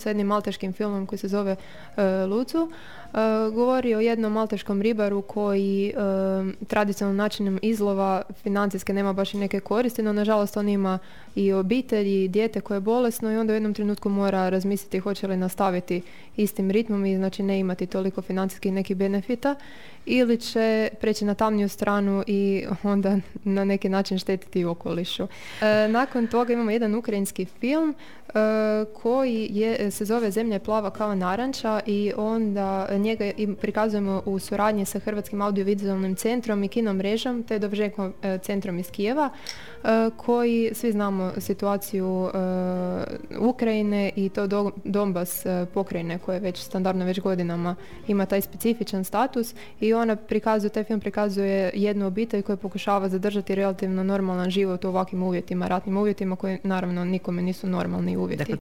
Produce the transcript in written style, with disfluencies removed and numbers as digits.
sa jednim malteškim filmom koji se zove Lucu. Govori o jednom malteškom ribaru koji tradicionalnim načinom izlova financijske nema baš i neke koristi, no nažalost on ima i obitelj i dijete koje je bolesno i onda u jednom trenutku mora razmisliti hoće li nastaviti istim ritmom i znači ne imati toliko financijskih nekih benefita ili će preći na tamniju stranu i onda na neki način štetiti okolišu. Nakon toga imamo jedan ukrajinski film koji se zove Zemlja je plava kao naranča i onda njega prikazujemo u suradnji sa Hrvatskim audiovizualnim centrom i kino mrežom te Dovženko centrom iz Kijeva koji svi znamo situaciju Ukrajine i to Donbas pokrajine koje već standardno već godinama ima taj specifičan status i taj film prikazuje jednu obitelj koja pokušava zadržati relativno normalan život u ovakvim uvjetima, ratnim uvjetima koji naravno nikome nisu normalni uvjeti. Dakle,